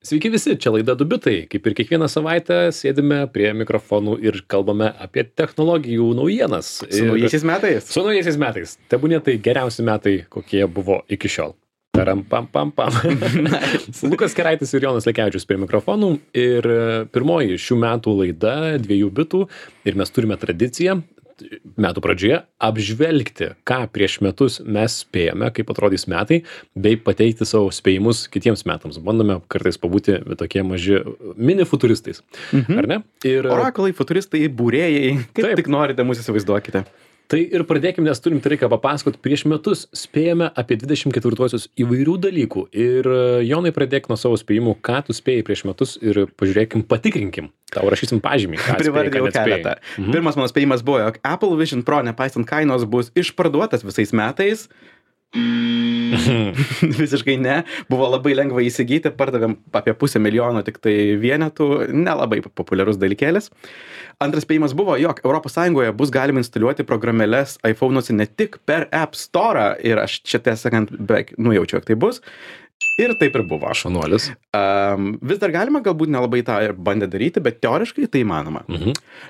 Sveiki visi, čia laida Du bitai. Kaip ir kiekvieną savaitę sėdime prie mikrofonų ir kalbame apie technologijų naujienas. Su naujaisiais metais. Su naujaisiais metais. Tebūnie tai geriausi metai, kokie buvo iki šiol. Taram pam pam pam. Lukas Keraitis ir Jonas Lekevičius prie mikrofonų. Ir pirmoji šių metų laida Dviejų bitų. Ir mes turime tradiciją metų pradžioje apžvelgti, ką prieš metus mes spėjome, kaip atrodys metai, bei pateikti savo spėjimus kitiems metams. Bandome kartais pabūti tokie maži mini futuristais. Ar ne? Ir Orakulai, futuristai, būrėjai, kaip tik norite mūsų įsivaizduokite. Tai ir pradėkime, nes turim tai reikia papasakot. Prieš metus spėjome apie 24-osius įvairių dalykų. Ir Jonai, pradėk nuo savo spėjimų, ką tu spėjai prieš metus ir pažiūrėkim, patikrinkim. Tau rašysim pažymį. Privardėjau keletą. Pirmas mano spėjimas buvo, jog Apple Vision Pro, nepaisant kainos, bus išparduotas visais metais. Visiškai ne. Buvo labai lengva įsigyti, pardavėm apie 500 000 tik tai vienetų, nelabai populiarus dalykėlis. Antras spėjimas buvo, jog ES bus galima instaliuoti programėles iPhone'uose ne tik per App Store, ir aš čia tiesą sakant beveik nujaučiu, jog tai bus. Ir taip ir buvo. Šaunuolis. Vis dar galima, galbūt nelabai tą ir bandė daryti, bet teoriškai tai įmanoma.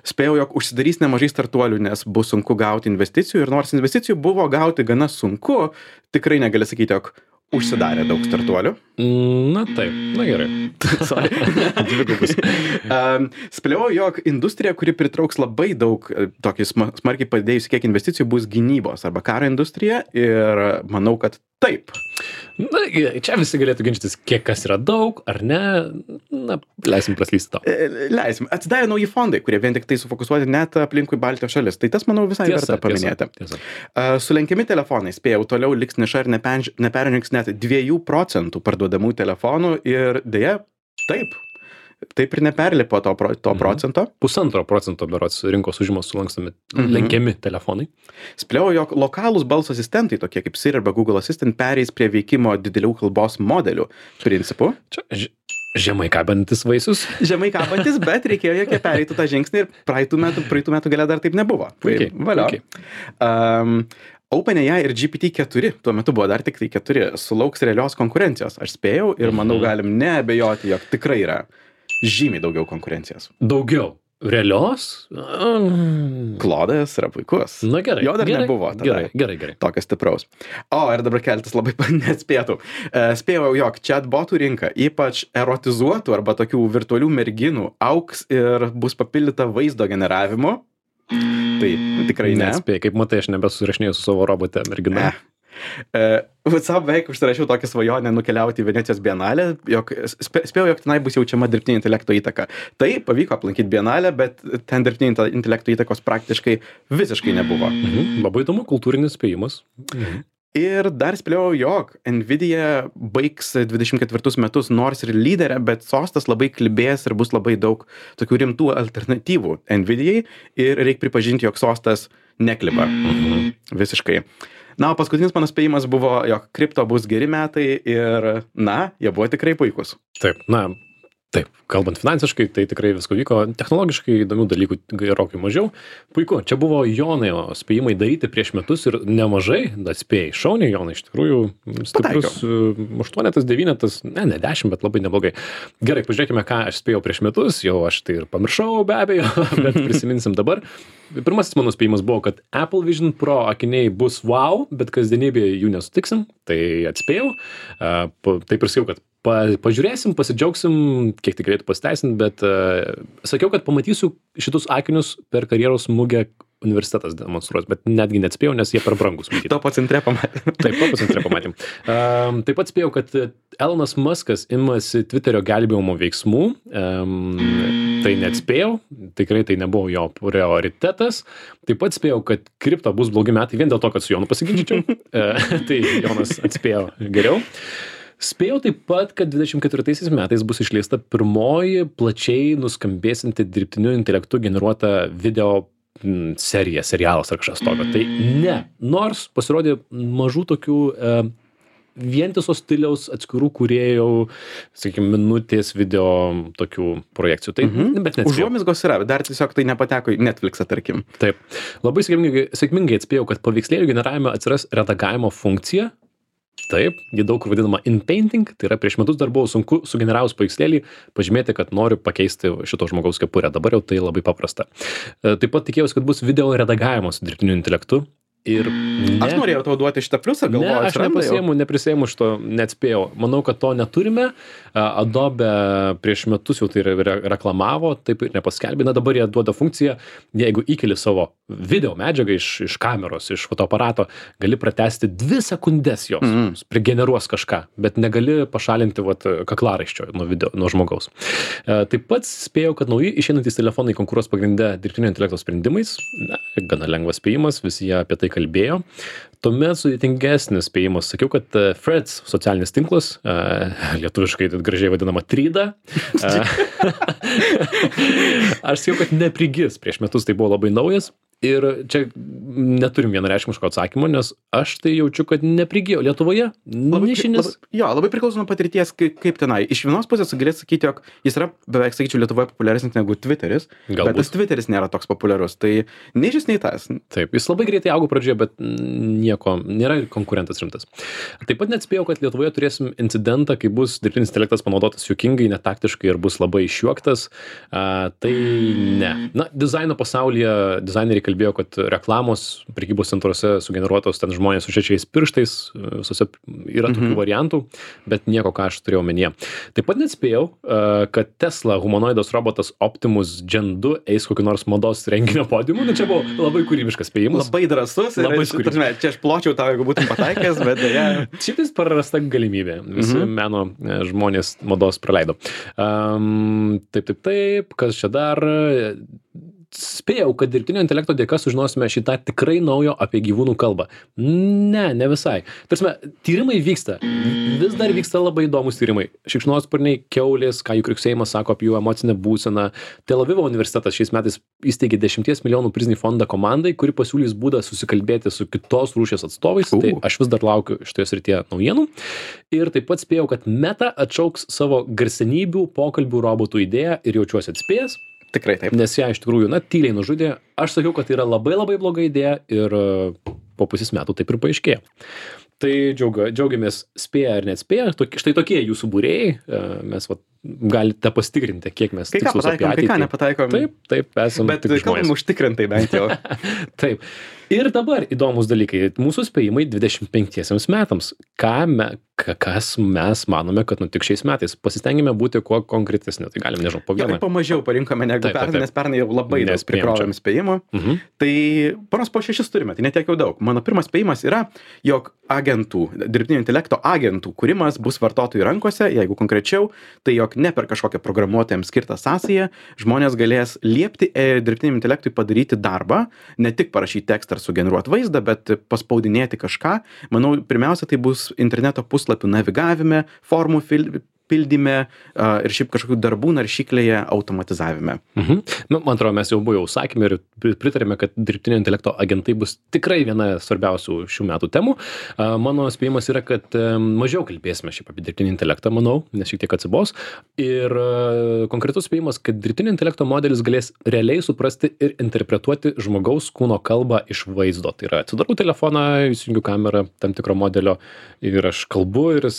Spėjau, jog užsidarys nemažai startuolių, nes bus sunku gauti investicijų, ir nors investicijų buvo gauti gana sunku, tikrai negali sakyti, jog užsidarė daug startuolių. Na taip, na gerai. Dvigubus. Spėliau, jog industrija, kuri pritrauks labai daug tokį smarkiai padėjusi kiek investicijų, bus gynybos arba karo industrija, ir manau, kad taip. Na, čia visi galėtų ginčytis, kiek kas yra daug, ar ne. Na, leisim praslysti to. Leisim. Atsidarė nauji fondai, kurie vien tik tai sufokusuoti net aplinkui Baltijos šalis. Tai tas, manau, visai verta paminėti. Sulenkiami telefonai, spėjau, toliau liks niša ir neperžengs net 2% parduodamų telefonų, ir dėja, taip ir neperlipo to procento. 1,5% berods rinkos užimos sulankstomi lenkiami telefonai. Spėliau, jog lokalūs balso asistentai, tokie kaip Siri arba Google Assistant, pereis prie veikimo didelių kalbos modelių principų. Čia žemai kabantis vaisius. Žemai kabantis, bet reikėjo, jog jie pereitų tą žingsnį, ir praeitų metų gale dar taip nebuvo. Puikiai. Valio. OpenAI ir GPT-4, tuo metu buvo dar tik tai 4, sulauks realios konkurencijos. Aš spėjau ir manau galim neabejoti, jog tikrai yra žymiai daugiau konkurencijos. Daugiau. Realios? Klodas yra puikus. Na gerai. Jo dar nebuvo tada. Gerai. Tokio stipraus. Ir dabar keletas labai neatspėtų. Spėjau, jog chatbotų rinka, ypač erotizuotų arba tokių virtualių merginų, augs ir bus papildyta vaizdo generavimu. Tai tikrai ne. Nespėjai, kaip matai, aš nebesusirašinėjau su savo robote mergina. Savo beveik užsirašiau tokią svajonę nukeliauti į Venecijos bienalę, jog spėjau, jog tenai bus jaučiama dirbtinio intelekto įtaka. Tai pavyko aplankyti bienalę, bet ten dirbtinio intelekto įtakos praktiškai visiškai nebuvo. Labai įdomu, kultūrinis spėjimas. Ir dar spėliau, jog Nvidia baigs 24 metus nors ir lyderę, bet sostas labai klibės ir bus labai daug tokių rimtų alternatyvų Nvidiai, ir reikia pripažinti, jog sostas nekliba. Visiškai. Na, o paskutinis mano spėjimas buvo, jog kripto bus geri metai, ir, jie buvo tikrai puikus. Taip, kalbant finansiškai, tai tikrai visko vyko. Technologiškai įdomių dalykų gerokai mažiau. Puiku, čia buvo Jono spėjimai daryti prieš metus, ir nemažai, spėjai. Šauniai, Jonai, iš tikrųjų stiprus 8, 9, ne 10, bet labai neblogai. Gerai, pažiūrėkime, ką aš spėjau prieš metus. Jau aš tai ir pamiršau, be abejo, bet prisiminsim dabar. Pirmasis mano spėjimas buvo, kad Apple Vision Pro akiniai bus wow, bet kasdienybėje jų nesutiksim. Tai atspėjau. Taip ir sakiau, kad pažiūrėsim, pasidžiaugsim, kiek tai galėtų pasiteisinti, bet sakiau, kad pamatysiu šitus akinius per karjeros mugę universitetas demonstruos, bet netgi neatspėjau, nes jie per brangus. Topo centre pamatėm. Taip, Topo centre pamatėm. Taip pat spėjau, kad Elonas Muskas imasi Twitterio gelbėjimo veiksmų. Tai neatspėjau, tikrai tai nebuvo jo prioritetas. Taip pat spėjau, kad kripto bus blogi metai, vien dėl to, kad su Jonu pasiginčyčiau. Tai Jonas atspėjo geriau. Spėjau taip pat, kad 24 metais bus išleista pirmoji plačiai nuskambėsinti dirbtiniu intelektu generuota video serialas ar kažkas tokio. Tai ne, nors pasirodė mažų tokių vientiso stiliaus atskirų kūrėjų, sakykime, minutės video tokių projekcijų. Tai, bet neatspėjau. Užuomizgos yra, dar tiesiog tai nepateko į Netflixą, tarkim. Taip. Labai sėkmingai atspėjau, kad paveikslėlių generavime atsiras redagavimo funkcija. Taip, ji daug kur vadinama in-painting, tai yra prieš metus dar buvo sunku sugeneravus paveikslėlį pažymėti, kad noriu pakeisti šito žmogaus kepurę. Dabar jau tai labai paprasta. Taip pat tikėjausi, kad bus video redagavimas su dirbtiniu intelektu. Ir Aš norėjau tau duoti šitą pliusą, Ne, galvoju, aš neprisėmu šito, neatspėjau. Manau, kad to neturime. Adobe prieš metus jau tai reklamavo, taip ir nepaskelbė. Na, dabar jie duoda funkciją, jeigu įkeli savo video medžiagą iš kameros, iš fotoaparato, gali pratesti 2 sekundės jos, prigeneruos kažką, bet negali pašalinti kaklaraiščio nuo žmogaus. Taip pat spėjau, kad nauji išeinantys telefonai konkuruos pagrindę dirbtinio intelekto sprendimais. Na, gana lengvas spėjimas, visi jie apie tai kalbėjo. Tuomet sudėtingesnis spėjimas. Sakiau, kad Threads socialinis tinklas, lietuviškai gražiai vadinama Tryda. Aš sakiau, kad neprigis. Prieš metus tai buvo labai naujas. Ir čia neturim vienareikšmiško atsakymo, nes aš tai jaučiu, kad neprigijo. Lietuvoje nišinis. Labai priklauso nuo patirties, kaip tenai. Iš vienos pusės galėt sakyti, jog jis yra, beveik sakyčiau, Lietuvoje populiaresnis negu Twitteris. Galbūt. Bet tas Twitteris nėra toks populiarus. Tai nei šis, nei tas. Taip, jis labai greitai augo pradžioje, bet nieko, nėra konkurentas rimtas. Taip pat net spėjau, kad Lietuvoje turėsim incidentą, kai bus dirbtinis intelektas panaudotas juokingai, netaktiškai ir bus labai išjuoktas. Tai ne. Na, dizaino pasaulyje dizaineriai kalbėjo, kad reklamos prekybos centruose sugeneruotos ten žmonės su šešiais pirštais, visose yra tokių variantų, bet nieko, ką aš turėjau omenyje. Taip pat net spėjau, kad Tesla humanoidas robotas Optimus Gen 2 eis kokį nors mados renginio podiumu, nu čia buvo labai kūrybiškas spėjimas. Labai drąsus ir čia aš pločiau tau, jeigu būtum pataikęs, bet dėja. Šitais prarasta galimybė. Visi meno žmonės mados praleido. Taip, kas čia dar? Spėjau, kad dirbtinio intelekto dėka sužinosime šitą tikrai naujo apie gyvūnų kalbą. Ne visai. Tarsime, tyrimai vyksta. Vis dar vyksta labai įdomus tyrimai. Šikšnosparniai, kiaulės, ką jų kriuksėjimas sako apie jų emocinę būseną. Tel Avivo universitetas šiais metais įsteigė 10 milijonų prizinį fondą komandai, kuri pasiūlys būdą susikalbėti su kitos rūšies atstovais. Tai aš vis dar laukiu šitoje srityje naujienų. Ir taip pat spėjau, kad Meta atšauks savo garsenybių pokalbių robotų idėją ir jaučiuosi atspėjęs. Tikrai taip. Nes ją iš tikrųjų, tyliai nužudė. Aš sakiau, kad tai yra labai labai bloga idėja ir po pusės metų taip ir paaiškėjo. Tai džiaugiamės spėję ar neatspėję. Štai tokie jūsų būrėjai. Mes galite pasitikrinti, kiek mes tikslus apie ateitį. Kai ką nepataikom. Taip, esame tik žmonės. Bet kalbam užtikrintai bent jau. Taip. Ir dabar įdomus dalykai. Mūsų spėjimai 25 metams. Kas mes manome, kad nutiks šiais metais. Pasistengime būti kuo konkretesni. Tai galim, nežinau, po vieną. Pamažiau parinkome negu pernai, nes pernai jau labai daug prikrovėm spėjimų. Tai panos po 6 turime, tai netiek jau daug. Mano pirmas spėjimas yra, jog dirbtinio intelekto agentų kūrimas bus vartotojų rankose, jeigu konkrečiau, tai jog ne per kažkokią programuotojams skirtą sąsają žmonės galės liepti dirbtiniam intelektui padaryti darbą, ne tik parašyti tekstą ar sugeneruoti vaizdą, bet paspaudinėti kažką. Manau, pirmiausia, tai bus interneto puslapių navigavime, formų pildyme ir šiaip kažkokių darbų naršyklėje automatizavime. Man atrodo, mes jau buvome sakėme ir pritarėme, kad dirbtinio intelekto agentai bus tikrai viena svarbiausių šių metų temų. Mano spėjimas yra, kad mažiau kalbėsime šiaip apie dirbtinį intelektą, manau, nes šiek tiek atsibos. Ir konkretus spėjimas, kad dirbtinio intelekto modelis galės realiai suprasti ir interpretuoti žmogaus kūno kalbą iš vaizdo. Tai yra, atsidarau telefoną, įsijungiu kamerą tam tikro modelio ir aš kalbu ir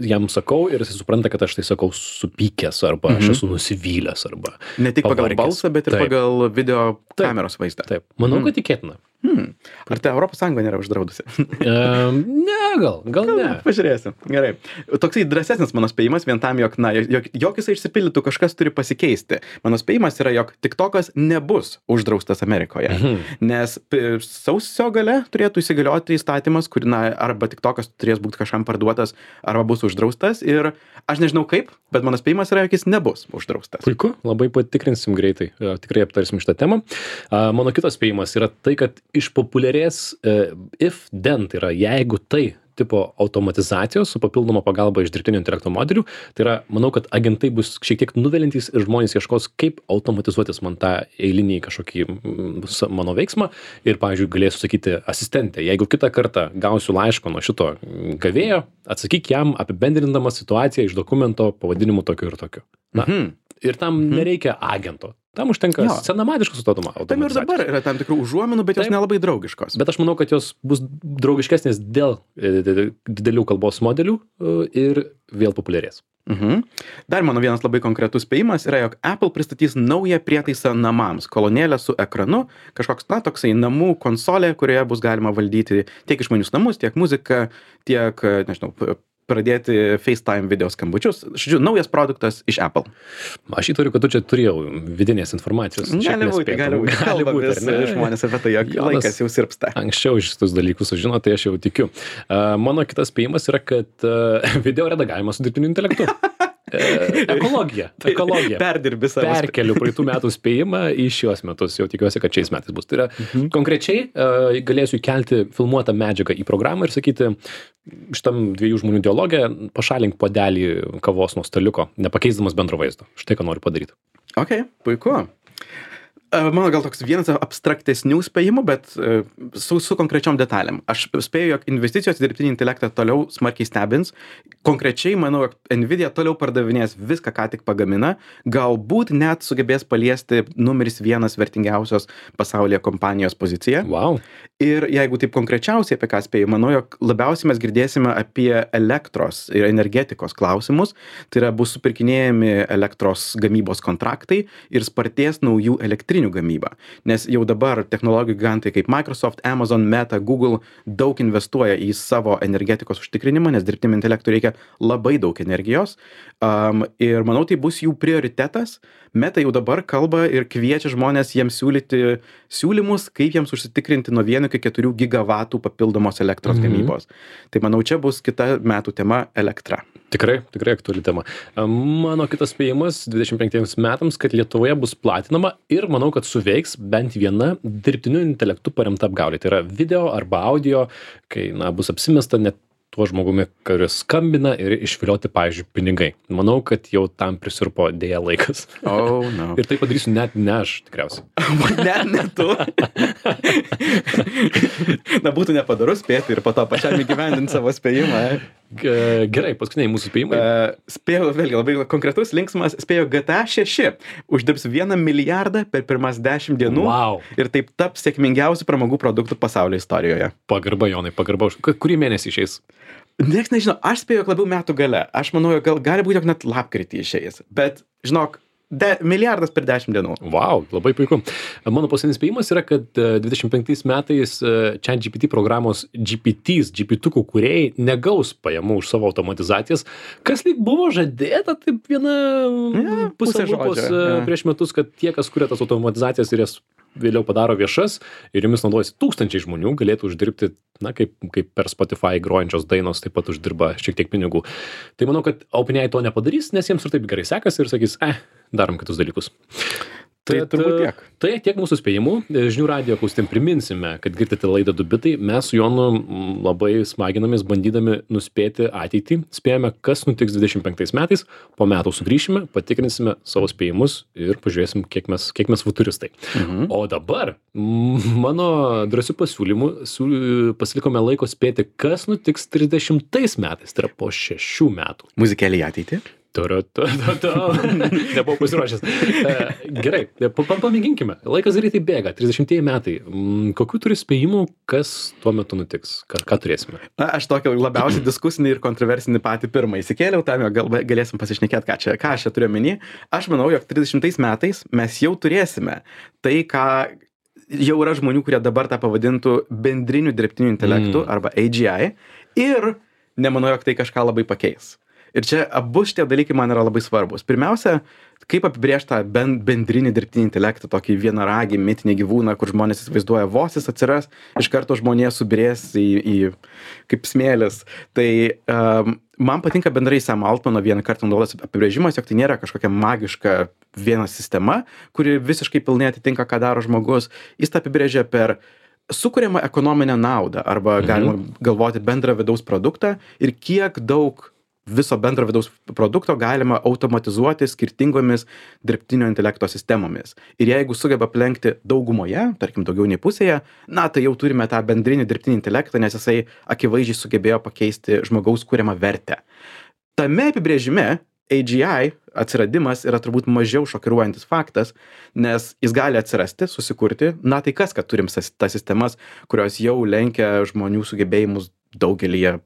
jam sakau ir jis supranta, kad aš tai sakau supykęs arba aš esu nusivylęs arba ne tik pagal balsą, bet ir pagal video kameros vaizdą. Taip, manau, kad tikėtina. Ar tai Europos Sąjunga nėra uždraudusi? Ne, gal ne. Pažiūrėsim. Gerai. Toksai drąsesnis mano spėjimas vien tam, jog jis išsipildytų, kažkas turi pasikeisti. Mano spėjimas yra, jog TikTokas nebus uždraustas Amerikoje. Nes sausio gale turėtų įsigalioti įstatymas, kur arba TikTokas turės būti kažkam parduotas, arba bus uždraustas. Ir aš nežinau kaip, bet mano spėjimas yra, jog jis nebus uždraustas. Puiku, labai patikrinsim greitai. Tikrai aptarsim šitą temą. Mano kitas spėjimas yra tai, kad išpopuliarės if then, tai yra jeigu tai tipo automatizacijos su papildoma pagalba iš dirbtinio intelekto modelių, tai yra, manau, kad agentai bus šiek tiek nuvelintys ir žmonės ieškos, kaip automatizuotis man tą eilinį kažkokį mano veiksmą ir, pavyzdžiui, galėsiu sakyti asistentė, jeigu kitą kartą gausiu laišką nuo šito gavėjo, atsakyk jam apibendrindamas situaciją iš dokumento pavadinimu tokiu ir tokiu. Ir tam nereikia agento. Tam užtenka Jo. senamadiškos Tam ir dabar yra tam tikrų užuominų, bet jos Taip. nelabai draugiškos. Bet aš manau, kad jos bus draugiškesnės dėl didelių kalbos modelių ir vėl populiarės. Dar mano vienas labai konkretus spėjimas yra, jog Apple pristatys naują prietaisą namams, kolonėlę su ekranu, kažkoks, toksai namų konsolė, kurioje bus galima valdyti tiek išmanius namus, tiek muziką, tiek, nežinau, pradėti FaceTime video skambučius. Žodžiu, naujas produktas iš Apple. Aš įtariu, kad tu čia turėjau vidinės informacijos. Gali būti. Kalba vis žmonės apie tai, jog laikas jau sirpsta. Anksčiau šitus dalykus sužino, tai aš jau tikiu. Mano kitas spėjimas yra, kad video redagavimas su dirbtiniu intelektu. Ekologija. Perdirbi savo. Perkeliu praeitų metų spėjimą į šios metus. Jau tikiuosi, kad šiais metais bus. Tai yra konkrečiai galėsiu įkelti filmuotą medžiagą į programą ir sakyti, šitam dviejų žmonių dialogę pašalink puodelį kavos nuo staliuko, nepakeisdamas bendro vaizdo. Štai ką noriu padaryti. Ok, puiku. Mano gal toks vienas abstraktesnių spėjimų, bet su konkrečiom detalėm. Aš spėju, jog investicijos į dirbtinį intelektą toliau smarkiai stebins. Konkrečiai, manau, jog Nvidia toliau pardavinės viską, ką tik pagamina. Galbūt net sugebės paliesti numeris 1 vertingiausios pasaulyje kompanijos poziciją. Wow. Ir jeigu taip konkrečiausiai apie ką spėju, manau, jog labiausiai mes girdėsime apie elektros ir energetikos klausimus. Tai yra, bus supirkinėjami elektros gamybos kontraktai ir spartės naujų elektrinių gamybą. Nes jau dabar technologijų gigantai kaip Microsoft, Amazon, Meta, Google daug investuoja į savo energetikos užtikrinimą, nes dirbtiniam intelektui reikia labai daug energijos. Ir manau, tai bus jų prioritetas. Meta jau dabar kalba ir kviečia žmonės jiems siūlyti siūlymus, kaip jiems užsitikrinti nuo 1 iki 4 gigavatų papildomos elektros gamybos. Tai manau, čia bus kita metų tema - elektra. Tikrai aktuali tema. Mano kitas spėjimas 25 metams, kad Lietuvoje bus platinama ir manau, kad suveiks bent viena dirbtiniu intelektu paremta apgaulė. Tai yra video arba audio, kai bus apsimesta net tuo žmogumi, kuris skambina ir išvilioti, pavyzdžiui, pinigai. Manau, kad jau tam prisirpo dėja laikas. Oh, no. Ir tai padarysiu net ne aš, tikriausiai. Net ne tu. Būtų nepadoru spėti ir po to pačiam įgyvendinti savo spėjimą. Gerai, paskutiniai mūsų spėjimai. Spėjau, vėlgi, labai konkretus, linksmas, spėjau GTA 6 uždirbs 1 milijardą per pirmas 10 dienų. Wow. Ir taip taps sėkmingiausių pramogų produktų pasaulio istorijoje. Pagarba, Jonai, pagarba. Kurį mėnesį išeis? Niekas nežino, aš spėjau, labiau metų gale. Aš manau, jog gali būti, jog net lapkritį išeis. Bet, žinok, milijardas per 10 dienų. Wow, labai puiku. Mano paskutinis spėjimas yra, kad 25 metais ChatGPT programos GPT-ukų kūrėjai negaus pajamų už savo automatizacijas, kas lyg buvo žadėta, taip pusė lūpos prieš metus, kad tie, kas kuria tas automatizacijas ir jas vėliau padaro viešas ir jomis naudojasi tūkstančiai žmonių, galėtų uždirbti, kaip per Spotify grojančios dainos taip pat uždirba šiek tiek pinigų. Tai manau, kad OpenAI to nepadarys, nes jiems ir taip gerai sekasi ir sakys, darom kitus dalykus. Tai turbūt tiek. Tai tiek mūsų spėjimų. Žinių radijo klausytėm priminsime, kad girdite laidą 2 bitai. Mes su Jonu labai smaginamės bandydami nuspėti ateitį. Spėjame, kas nutiks 25 metais. Po metų sugrįšime, patikrinsime savo spėjimus ir pažiūrėsim, kiek mes futuristai. O dabar mano drąsių pasiūlymų pasilikome laiko spėti, kas nutiks 30 metais. Tai yra po 6 metų. Muzikėlė į ateitį. Nebuvau pasiruošęs. Gerai, pamėginkime. Laikas greitai bėga, 30 metai. Kokių turi spėjimų, kas tuo metu nutiks? Ką turėsime? Aš tokį labiausiai diskusinį ir kontroversinį patį pirmą įsikėliau, tam galėsim pasišnekėti, ką aš čia turiu omeny. Aš manau, jog 30 metais mes jau turėsime tai, ką jau yra žmonių, kurie dabar tą pavadintų bendriniu dirbtiniu intelektu arba AGI ir nemanau, jog tai kažką labai pakeis. Ir čia abu šitie dalykai man yra labai svarbus. Pirmiausia, kaip apibrėžti tą bendrinį dirbtinį intelektą, tokį vienaragį, mitinį gyvūną, kur žmonės įsivaizduoja, vos jis atsiras, iš karto žmonės subirės į kaip smėlis. Tai man patinka bendrai Sam Altmano vieną kartą naudotas apibrėžimas, jog tai nėra kažkokia magiška viena sistema, kuri visiškai pilnai atitinka, ką daro žmogus. Jis tą apibrėžia per sukuriamą ekonominę naudą arba galima galvoti bendrą vidaus produktą ir kiek daug viso bendro vidaus produkto galima automatizuoti skirtingomis dirbtinio intelekto sistemomis. Ir jeigu sugeba aplenkti daugumoje, tarkim daugiau nei pusėje, tai jau turime tą bendrinį dirbtinį intelektą, nes jisai akivaizdžiai sugebėjo pakeisti žmogaus kuriamą vertę. Tame apibrėžime AGI atsiradimas yra turbūt mažiau šokiruojantis faktas, nes jis gali atsirasti, susikurti, na tai kas, kad turim tas sistemas, kurios jau lenkia žmonių sugebėjimus daugelį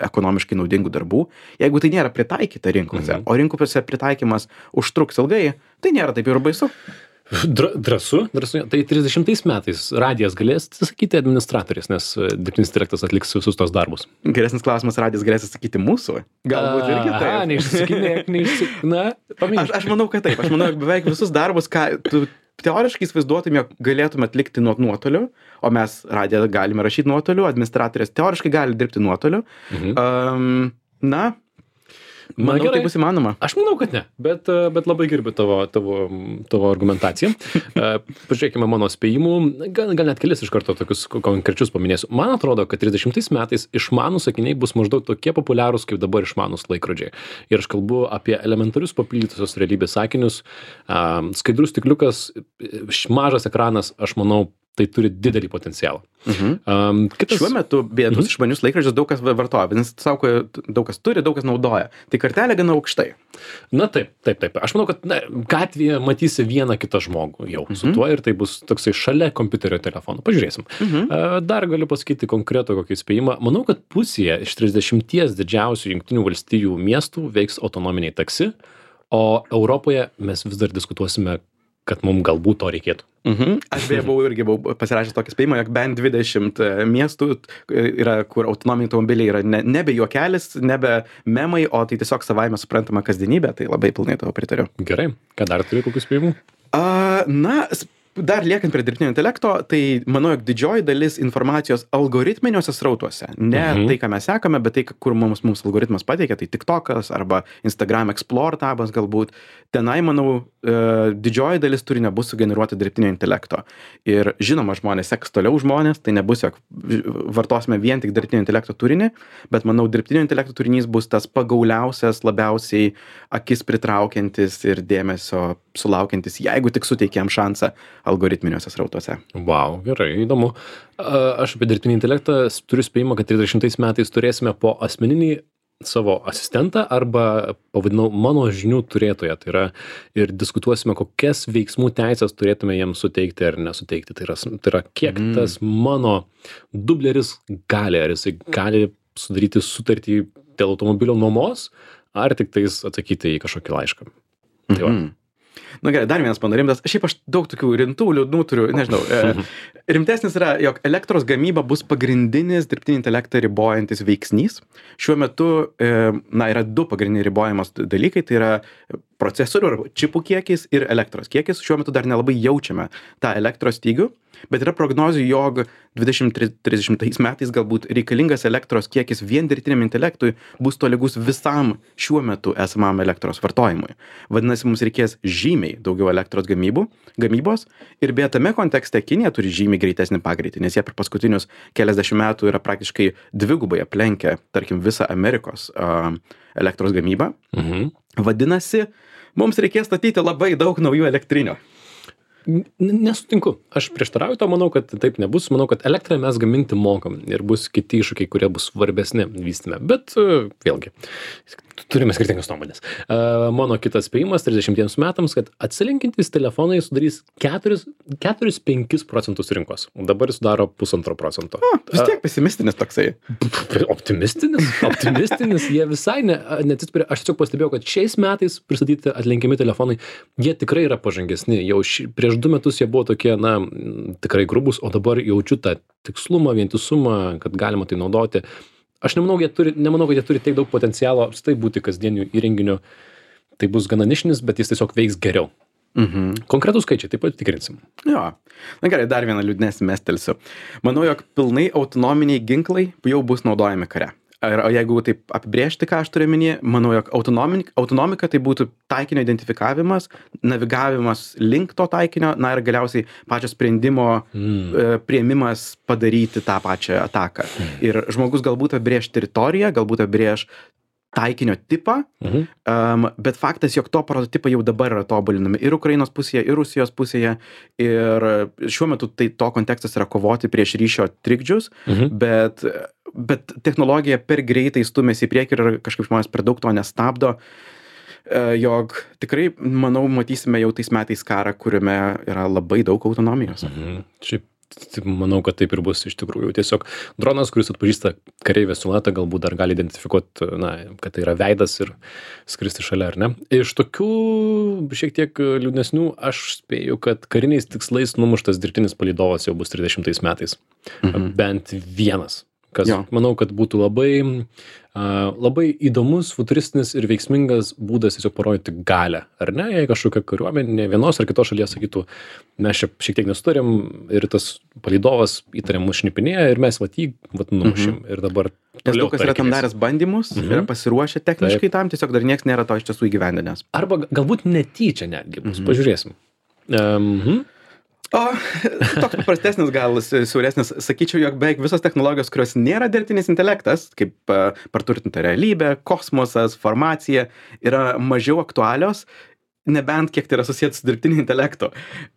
ekonomiškai naudingų darbų, jeigu tai nėra pritaikyta rinkose, o rinkose pritaikymas užtruks ilgai, tai nėra taip ir baisu. Drąsu. Tai 30 metais radijas galės atsisakyti administratoriais, nes dirbtinis intelektas atliks visus tos darbus. Geresnis klausimas, radijas galės atsakyti mūsų. Galbūt irgi taip. Neišsisakinėk. Aš manau, kad taip. Aš manau, beveik visus darbus, ką tu teoriškai įsivaizduotum, jog galėtume atlikti nuotoliu, o mes radiją galime rašyti nuotoliu, administratorės teoriškai gali dirbti nuotoliu. Manau, tai bus įmanoma. Aš manau, kad ne, bet labai gerbiu tavo argumentaciją. Pažiūrėkime mano spėjimų, gal net kelis iš karto tokius konkrečius paminėsiu. Man atrodo, kad 30 metais išmanūs sakiniai bus maždaug tokie populiarūs, kaip dabar išmanūs laikrodžiai. Ir aš kalbu apie elementarius papildytosios realybės sakinius. Skaidrus stikliukas, mažas ekranas, aš manau, tai turi didelį potencialą. Šiuo metu, beje, tuos išmanius laikrodžius daug kas vartoja, nes daug kas turi, daug kas naudoja. Tai kartelė gana aukštai. Na taip. Aš manau, kad gatvėje matysi vieną kitą žmogų jau su tuo ir tai bus toksai šalia kompiuterio telefono. Pažiūrėsim. Dar galiu pasakyti konkretų kokį spėjimą. Manau, kad pusėje iš 30 didžiausių Jungtinių valstijų miestų veiks autonominiai taksi, o Europoje mes vis dar diskutuosime, kad mums galbūt to reikėtų. Aš beje buvau pasirašęs tokį spėjimą, jog bent 20 miestų yra, kur autonominiai automobiliai yra nebe juokelis, nebe memai, o tai tiesiog savaime suprantama kasdienybė, tai labai pilnai tavo pritariu. Gerai, ką dar turi kokius spėjimų? Dar liekant prie dirbtinio intelekto, tai manau, jog didžioji dalis informacijos algoritminiuose srautuose, ne tai, ką mes sekame, bet tai, kur mums algoritmas pateikia, tai TikTokas arba Instagram Explore tabas galbūt, tenai, manau, didžioji dalis turinio bus sugeneruoti dirbtinio intelekto. Ir žinoma, žmonės seks toliau žmonės, tai nebus, jog vartosime vien tik dirbtinio intelekto turinį, bet manau, dirbtinio intelekto turinys bus tas pagauliausias, labiausiai akis pritraukiantis ir dėmesio sulaukiantis, jeigu tik suteikėm šansą algoritminiuose srautuose. Wow, gerai, įdomu. Aš apie dirbtinį intelektą turiu spėjimą, kad 30 metais turėsime po asmeninį savo asistentą arba pavadinau mano žinių turėtoją. Tai yra ir diskutuosime, kokias veiksmų teisės turėtume jiems suteikti ar nesuteikti. Tai yra kiek tas mano dubleris gali, ar jisai gali sudaryti sutartį dėl automobilio nuomos, ar tik tais atsakyti į kažkokį laišką. Tai va. Na gerai, dar vienas panorimtas. Šiaip aš daug tokių rimtų liūdnų turiu, nežinau. Rimtesnis yra, jog elektros gamyba bus pagrindinis dirbtinį intelektą ribojantis veiksnys. Šiuo metu yra du pagrindiniai ribojamos dalykai, tai yra procesorių arba čipų kiekis ir elektros kiekis. Šiuo metu dar nelabai jaučiame tą elektros stygių, bet yra prognozių, jog 2030 metais galbūt reikalingas elektros kiekis vien dirbtiniam intelektui bus tolygus visam šiuo metu esamam elektros vartojimui. Vadinasi, mums reikės žymiai daugiau elektros gamybos ir beje tame kontekste Kinija turi žymiai greitesnį pagreitį, nes jie per paskutinius keliasdešimt metų yra praktiškai dvigubai aplenkę, tarkim, visą Amerikos elektros gamybą. Vadinasi, mums reikės statyti labai daug naujų elektrinių. Nesutinku. Aš prieštarauju to, manau, kad taip nebus. Manau, kad elektrą mes gaminti mokam ir bus kiti iššūkiai, kurie bus svarbesni vystyme. Bet vėlgi, turime skirtingas nuomonės. Mano kitas spėjimas 30 metams, kad atsilenkiantys telefonai sudarys 4-5 procentus rinkos. Dabar jis sudaro 1,5%. Vis tiek pesimistinis toksai. Optimistinis. Jie visai neatsispiria. Aš tiesiog pastebėjau, kad šiais metais pristatyti atlenkiami telefonai, jie tikrai yra pažangesni. Jau prieš 2 metus jie buvo tokie, tikrai grubus, o dabar jaučiu tą tikslumą, vientisumą, kad galima tai naudoti. Aš nemanau, kad jie turi tiek daug potencialo apstai būti kasdieniu įrenginiu. Tai bus gana nišinis, bet jis tiesiog veiks geriau. Konkretus skaičiai, taip pat tikrinsim. Jo. Na gerai, dar vieną liūdnesnį mestelsiu. Manau, jog pilnai autonominiai ginklai jau bus naudojami kare. O jeigu taip apibrėžti, ką aš turiu minėti, manau, jog autonomika tai būtų taikinio identifikavimas, navigavimas link to taikinio, ir galiausiai pačio sprendimo priėmimas padaryti tą pačią ataką. Ir žmogus galbūt apibrėž teritoriją, galbūt apibrėž taikinio tipą, bet faktas, jog to prototipai jau dabar yra tobulinami ir Ukrainos pusėje, ir Rusijos pusėje, ir šiuo metu tai to kontekstas yra kovoti prieš ryšio trikdžius, bet technologija per greitai stumėsi į priekį ir kažkaip žmonės per daug to nestabdo. jog tikrai, manau, matysime jau tais metais karą, kuriame yra labai daug autonomijos. Šiaip manau, kad taip ir bus iš tikrųjų. Tiesiog dronas, kuris atpažįsta kareivio siluetą, galbūt dar gali identifikuoti, kad tai yra veidas ir skristi šalia, ar ne. Iš tokių šiek tiek liūdnesnių aš spėju, kad kariniais tikslais numuštas dirbtinis palydovas jau bus 30 metais. Bent vienas. Kas, manau, kad būtų labai įdomus, futuristinis ir veiksmingas būdas tiesiog parodyti galią, ar ne? Jei kažkokia kariuomenė vienos ar kitos šalies sakytų, mes čia šiek tiek nesutarėm ir tas palydovas įtariam mus šnipinėja ir mes jį numušim. Ir dabar Nes daug kas yra tam daręs bandymus, yra pasiruošę techniškai tam, tiesiog dar nieks nėra to iš tiesų įgyvendinęs. Arba galbūt netyčia netgi bus, pažiūrėsim. O toks paprastesnis, gal siauresnis, sakyčiau, jog beveik visos technologijos, kurios nėra dirbtinis intelektas, kaip praturtinta realybė, kosmosas, farmacija, yra mažiau aktualios, nebent kiek tai yra susijęs su dirbtiniu intelektu.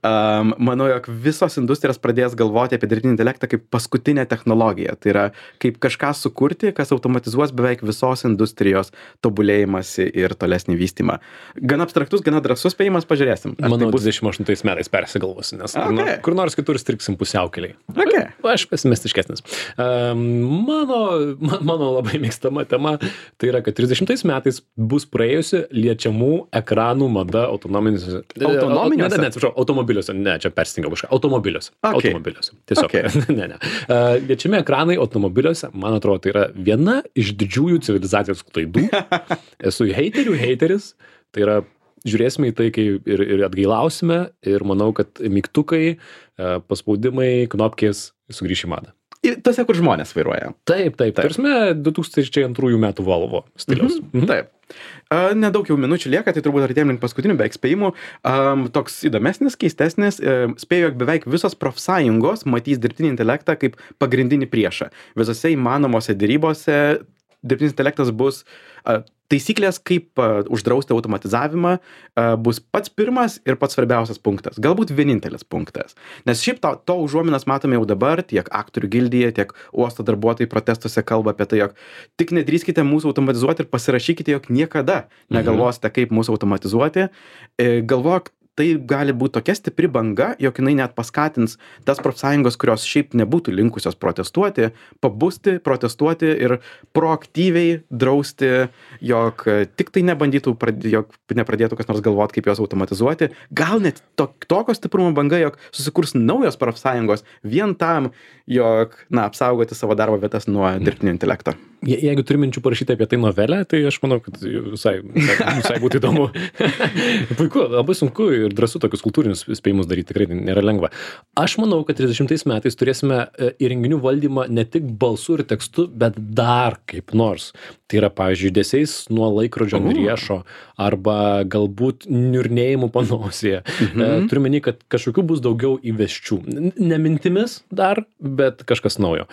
Manau, jog visos industrijos pradės galvoti apie dirbtinį intelektą kaip paskutinę technologiją. Tai yra kaip kažką sukurti, kas automatizuos beveik visos industrijos tobulėjimąsi ir tolesnį vystymą. Gana abstraktus, gana drąsus spėjimas, pažiūrėsim. Manau, 28 metais persigalvosi, nes kur nors kitur striksim pusiaukelėj. Aš pesimistiškesnis. Mano labai mėgstama tema, tai yra, kad 30 metais bus praėjusi liečiamų ekranų mada autonominiuose. Automobiliuose. Ne, čia perstingiau kažką. Automobiliuose. Tiesiog. Ne. Liečiami ekranai automobiliuose, man atrodo, tai yra viena iš didžiųjų civilizacijos klaidų. Esu heiteris. Tai yra, žiūrėsime į tai, kai ir atgailausime ir manau, kad mygtukai, paspaudimai, knopkės sugrįš į madą. Tose, kur žmonės vairuoja. Taip. Tarsime 2002 metų Volvo stiliaus. Taip. Nedaug jau minučių lieka, tai turbūt artėjom link paskutinių beveik spėjimų. Toks įdomesnis, keistesnis, spėju, jog beveik visos profsąjungos matys dirbtinį intelektą kaip pagrindinį priešą. Visose įmanomose derybose dirbtinis intelektas bus taisyklės, kaip uždrausti automatizavimą, bus pats pirmas ir pats svarbiausias punktas. Galbūt vienintelis punktas. Nes šiaip to užuominas matome jau dabar, tiek aktorių gildija, tiek uosto darbuotojai protestuose kalba apie tai, jog tik nedrįskite mūsų automatizuoti ir pasirašykite, jog niekada negalvosite, kaip mūsų automatizuoti. Galvok, tai gali būti tokia stipri banga, jog jinai net paskatins tas profsąjungos, kurios šiaip nebūtų linkusios protestuoti, pabusti, protestuoti ir proaktyviai drausti, jog tik tai nebandytų, jog nepradėtų kas nors galvoti, kaip juos automatizuoti. Gal net tokio stiprumo banga, jog susikurs naujos profsąjungos vien tam, jog, apsaugoti savo darbo vietas nuo dirbtinio intelekto. Jeigu turi minčių parašyti apie tai novelę, tai aš manau, kad visai būtų įdomu. Puiku, labai sunku ir drąsu tokius kultūrinius spėjimus daryti, tikrai nėra lengva. Aš manau, kad 30 metais turėsime įrenginių valdymą ne tik balsu ir tekstu, bet dar kaip nors. Tai yra, pavyzdžiui, judesiais nuo laikrodžio riešo arba galbūt niurnėjimų panosėje. Turiu menį, kad kažkokių bus daugiau įvesčių. Ne mintimis dar, bet kažkas naujo.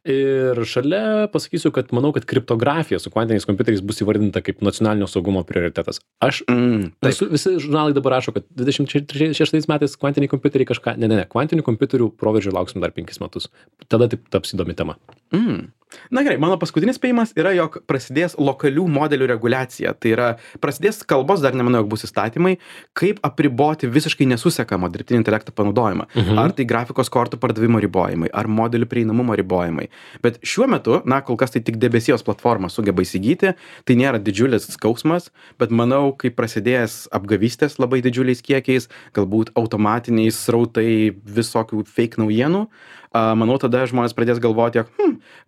Ir šalia pasakysiu, kad manau, kad kriptografija su kvantiniais kompiuteriais bus įvardinta kaip nacionalinio saugumo prioritetas. Visi žurnalai dabar rašo, kad 26 metais kvantiniai kompiuteriai kažką... Ne. Kvantinių kompiuterių proveržio lauksim dar 5 metus. Tada taip taps įdomi tema. Na gerai, mano paskutinis spėjimas yra, jog prasidės lokalių modelių reguliacija. Tai yra, prasidės kalbos, dar nemanau, jog bus įstatymai, kaip apriboti visiškai nesusekamą dirbtinį intelektą panaudojimą. Ar tai grafikos kortų pardavimo ribojimai, ar modelių prieinamumo ribojimai. Bet šiuo metu, kol kas tai tik debesijos platforma sugeba įsigyti, tai nėra didžiulis skausmas, bet manau, kai prasidės apgavystės labai didžiuliais kiekiais, galbūt automatiniai srautai visokių fake naujienų, manau, tada žmonės pradės galvoti, jog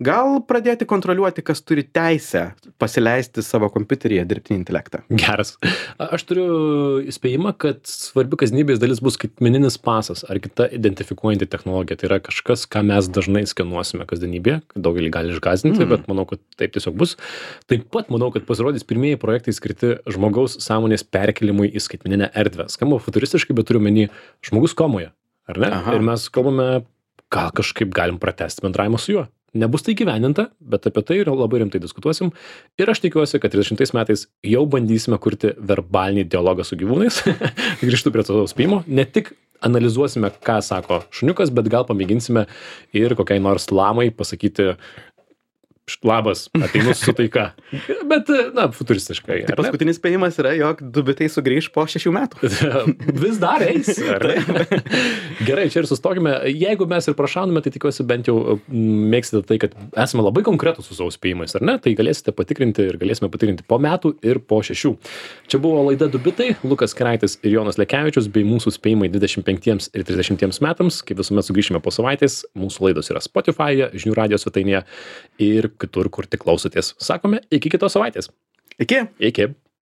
gal pradėti kontroliuoti, kas turi teisę pasileisti savo kompiuteryje dirbtinį intelektą. Geras. Aš turiu įspėjimą, kad svarbi kasdienybės dalis bus skaitmeninis pasas ar kita identifikuojanti technologija. Tai yra kažkas, ką mes dažnai skenuosime kasdienybėje. Daugelį gali išgąsdinti, bet manau, kad taip tiesiog bus. Taip pat manau, kad pasirodys pirmieji projektai skirti žmogaus sąmonės perkelimui į skaitmeninę erdvę. Skamba futuristiškai, bet turiu menį žmogus komoje, ar ne? Ir mes kalbame, gal kažkaip galim pratęsti bendravimą su juo. Nebus tai gyveninta, bet apie tai labai rimtai diskutuosim. Ir aš tikiuosi, kad 30 metais jau bandysime kurti verbalinį dialogą su gyvūnais. Grįžtu prie to spėjimo. Ne tik analizuosime, ką sako šuniukas, bet gal pamėginsime ir kokiai nors lamai pasakyti labas, ateinu su taika. Bet, na, futuristiškai. Tai paskutinis spėjimas yra, jog 2 bitai sugrįž po 6 metų. Vis dar eis, ar ne? Gerai, čia ir sustokime. Jeigu mes ir prašauname, tai tikiuosi bent jau mėgsite tai, kad esame labai konkretus su savo spėjimais, ar ne? Tai galėsite patikrinti ir galėsime patikrinti po metų ir po 6. Čia buvo laida 2 bitai, Lukas Keraitis ir Jonas Lekevičius, bei mūsų spėjimai 25 ir 30 metams. Kaip visuomet sugrįšime po savaitės. Mūsų laidos yra Spotify'e, Žinių radijo svetainėje ir kitur, kur tik klausotės. Sakome, iki kitos savaitės. Iki. Iki.